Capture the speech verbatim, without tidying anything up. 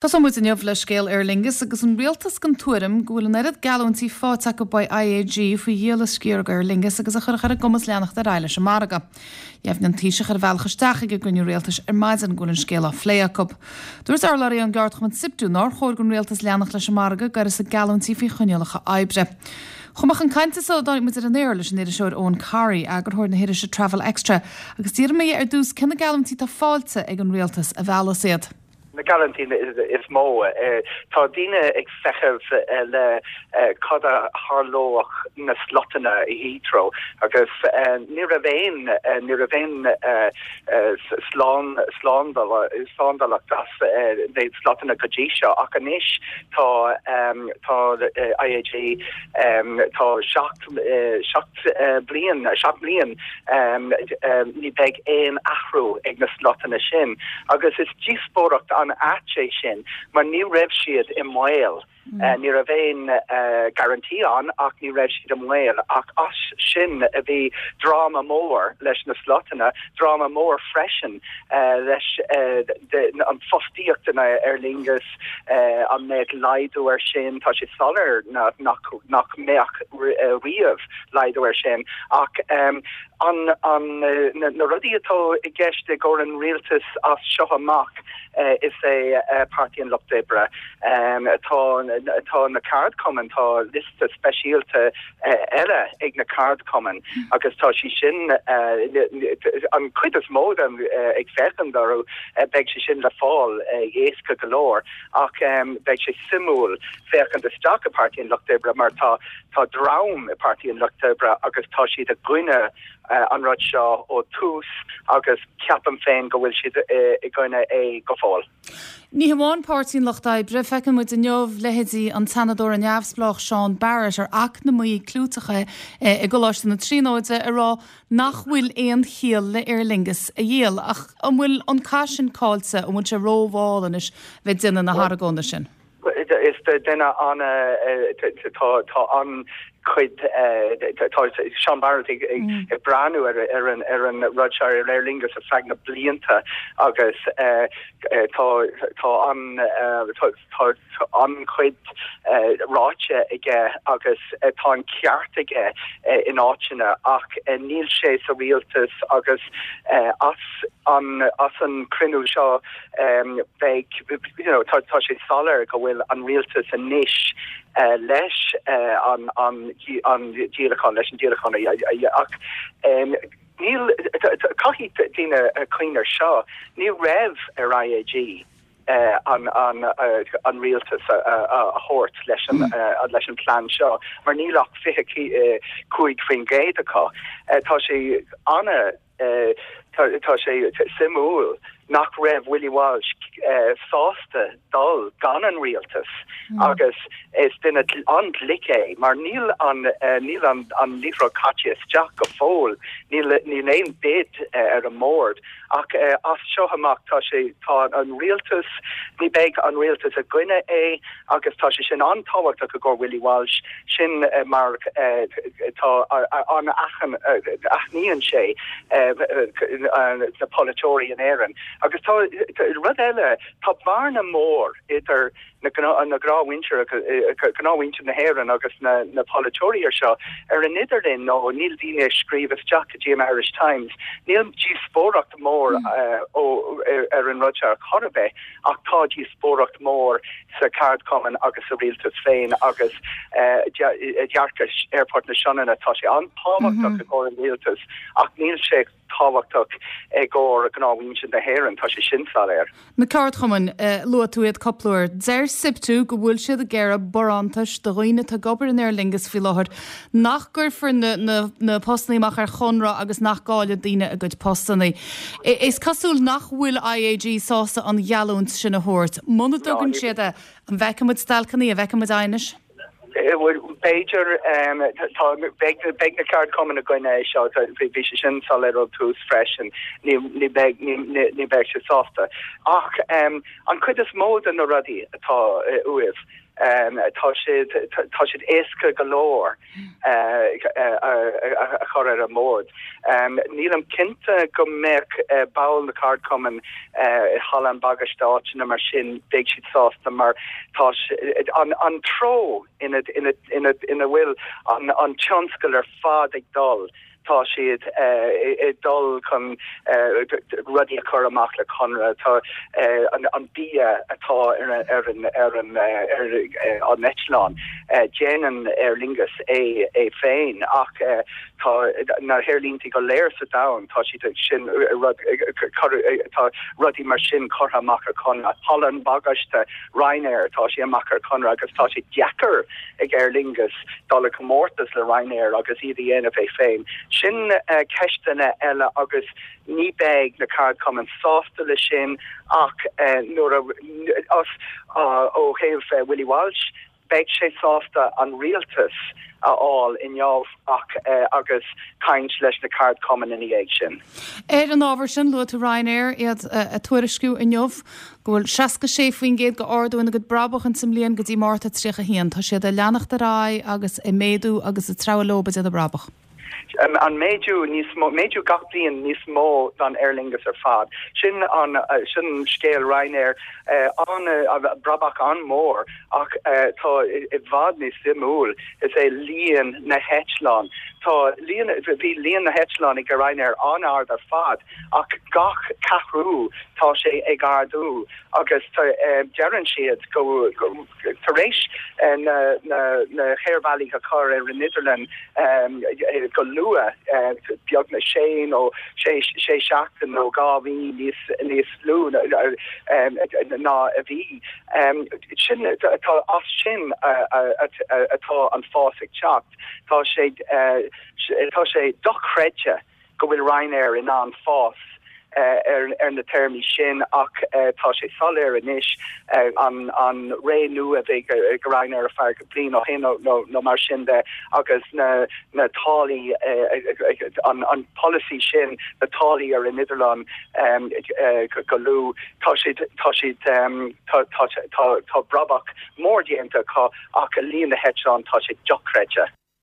Tosóidh muid inniu le scéal Aer Lingus agus an rialtas den tuairim go bhfuil an oiread geallúintí faighte acu ó I A G faoi dhíol a sciar Aer Lingus agus a chuirfeadh ar a gcumas leanacht ar aghaidh leis an margadh. Dheimhnigh an Taoiseach ar a bhealach isteach ag an gcruinniú rialtais ar maidin go bhfuil an scéal á phlé acu. Dúirt urlabhraí an gceardchumann SIPTU nár chóir don rialtas leanacht leis an margadh go gcuirfí geallúintí faoi choinníollacha oibre. Chomh maith chun cainte sula dtáinig muid ar an aer leis an iriseoir Eoin Corry, eagarthóir na hirise Travel Extra, agus d'iarr mé ar dtús cé na geallúintí atá faighte ag an rialtas a mheallas iad. Na geallúintí is mó, tá daoine ag feitheamh le cad a tharlódh na slotanna i Heathrow, agus ní raibh aon ní raibh aon slán slándálacht as na slotanna go dtí seo, ach anois tá tá I A G, tá seacht seacht bliain seacht bliain ní beidh aon athrú ag na slotanna sin, agus is díospóireacht an-ait é sin, mar ní raibh siad i mbaol. Mm. Ní raibh aon guarantee ann, ach ní raibh siad i mbaol, ach as sin a bhí dráma mór leis na slotanna, dráma mór freisin leis an fostaíocht in Aer Lingus, an mbeadh laghdú ar sin. Tá sé soiléir nach nach mbeadh riamh laghdú ar sin, ach um, an, an na, na rudaí atá i gceist ag an rialtas as seo amach uh, is é uh, Páirtí an Lucht Oibre. um, tá tá na ceardchumainn, tá liosta speisialta uh, eile ag na ceardchumainn, agus tá sí sin uh, an chuid is mó dem uh, ag féachaint orthu, uh, beidh sé sin le fáil uh, éasca go leor, ach um, beidh sé suimiúil féachaint isteach i Páirtí an Lucht Oibre, mar tá tá dream i Páirtí an Lucht Oibre agus tá siad i gcoinne uh, an rud seo ó tús, agus ceapaim féin go bhfuil siad uh, i gcoinne é go fóill. Ní hamháin Páirtí an Lucht Oibre, feiceann muid inniu leithéidí an tSeanadóra neamhspleách Seán Barrett, ar eacnamaí clúiteach i gColáiste na Tríonóide, ag rá nach bhfuil aon chiall le Aer Lingus a dhíol, ach an bhfuil an cath sin caillte? An bhfuil sé rómhall anois bheith ag déanamh na hargóna sin? Is duine an tá tá an chuid tá Sean Barrett ag mm. ag breathnú ar ar an ar an rud seo ar Aer Lingus ar feadh na blianta, agus tá tá an tá an chuid ráite aige, agus tá an ceart aige in áiteanna, ach níl sé sa rialtas, agus as an as an cruinniú seo beidh you know, tá tá sé soiléir go bhfuil an rialtas anois uh, leis uh, an an an díolachán leis an díolachán, ach um, níl caithfidh daoine cuimhneamh air seo, ní raibh ar I A G uh, an an uh, an rialtas a, a, a thabhairt leis an mm. uh, leis an plan seo, mar níl ach fiche cúig faoin gcéad acu. uh, tá sé an uh, tá sé suimiúil nach raibh Willie Walsh uh, sásta dul gan an rialtas mm. agus is duine an-ghlic é, mar níl an uh, níl an an liathróid caite isteach go fóill, níl níl aon bid uh, ar an mbord, ach uh, as seo amach tá sé tá an rialtas, ní beidh an rialtas i gcoinne é, agus tá sé sin an-tábhachtach go Willie Walsh sin uh, mar uh, tá an achan aithníonn sé uh, uh, na polaiteoirí in Éirinn. Agus tá rud eile, tá bearna mór idir na na gnáthmhuintir gnáthmhuintir na hÉireann agus na na polaiteoirí ar seo ar an idirlíon, nó níl daoine scríobh isteach go dtí an Irish Times, níl díospóireacht mór mm. uh, ó ar an rud seo chor ar bith, ach tá díospóireacht mór sa cheardchumann agus sa rialtas féin, agus uh, dearcadh Aerfort na Sionainne, tá sé an-tábhachtach mm -hmm. go an rialtas, ach níl sé tábhachtach ag go gnáthmhuintir na hÉireann, tá sé sin soiléir. Na ceardchumainn, uh, luaigh tú iad cúpla uair. Deir SIPTU go bhfuil siad ag iarraidh barántais do dhaoine atá ag obair in Aer Lingus faoi láthair, nach gcuirfear na, na, na postanna amach ar chonradh agus nach gcaillfidh daoine a gcuid postanna. Is cosúil nach bhfuil I A G sásta an gheallúint sin a thabhairt. Muna dtugann siad an bhfeicfidh muid stailceanna, an bhfeicfidh muid aighneas? B'fhéidir beidh na ceardchumainn i gcoinne seo, bhí sé sin soiléir ó tús freisin, ní beidh sé sásta. Ach um, an chuid is mó de na rudaí atá uaibh. Tá siad tá siad éasca go leor a chur ar an mbord. Nílim cinnte go mbeadh baill na ceardchumann halla an bagaiste áiteanna mar sin beidh siad sásta mar tá an an treo ina ina ina ina bhfuil an an tionscal ar fad ag dul. Tá siad ag dul chun rudaí a chur amach le conradh tá an an bia atá ar ar an ar an ar an eitleán déanann Aer Lingus é é féin ach tá na haerlínte go léir sa domhan tá siad sin rud tá rudaí mar sin curtha amach ar conradh halla an bagaiste Ryanair tá sé amach ar conradh agus tá sé deacair ag Aer Lingus dul i comórtas le Ryanair agus iad a dhéanamh é féin. Sin uh, ceisteanna eile agus ní beidh na ceardchumainn sásta le sin ach uh, nuair a as uh, ó thaobh uh, Willie Walsh beidh sé sásta an rialtas a fháil inniu ach uh, agus caint leis na ceardchumainn ina dhiaidh sin. Ar an ábhar sin luaigh tú Ryanair iad ag tuairisciú inniu go bhfuil seasca sé faoin gcéad go ardú ina gcuid brabach in sa mbliain go dtí Márta tríocha haon, Tá siad ag leanacht ar aghaidh agus ag méadú agus ag treabhadh leo ag déanamh brabach. Um, an méadú níos mó méadú gach bliain níos mó don Aer Lingus ar fad. Sin an uh, sin scéal Ryanair uh, an uh, brabach an-mhór ach uh, tá i bhfad níos suimiúil is é líon na heitleán. Tá líon bhí líon na heitleán ag Ryanair an-ard ar fad ach gach ceathrú tá sé ag ardú agus uh, deireann siad go, go tar éis uh, na na na haerbhealaí a chur ar an idirlíon um, go luath uh, beagnach sé nó sé sé seachtain nó dhá mhí níos níos lú um, ná a bhí. Um, sin tá as sin atá an fás ag teacht tá sé uh, tá sé dochreidte go bhfuil Ryanair in ann fás uh, ar, ar na téarmaí sin ach uh, tá sé soiléir anois uh, an, an ré nua bheith ag Ryanair a fear go bliain ó shin nó, nó mar sin de agus na, na táillí uh, an, an policy sin na táillí ar an idirlíon um, uh, go lú tá siad tá siad um, tá, tá, tá, tá brabach mór déanta acu ach líon na heitleán tá sé dochreidte.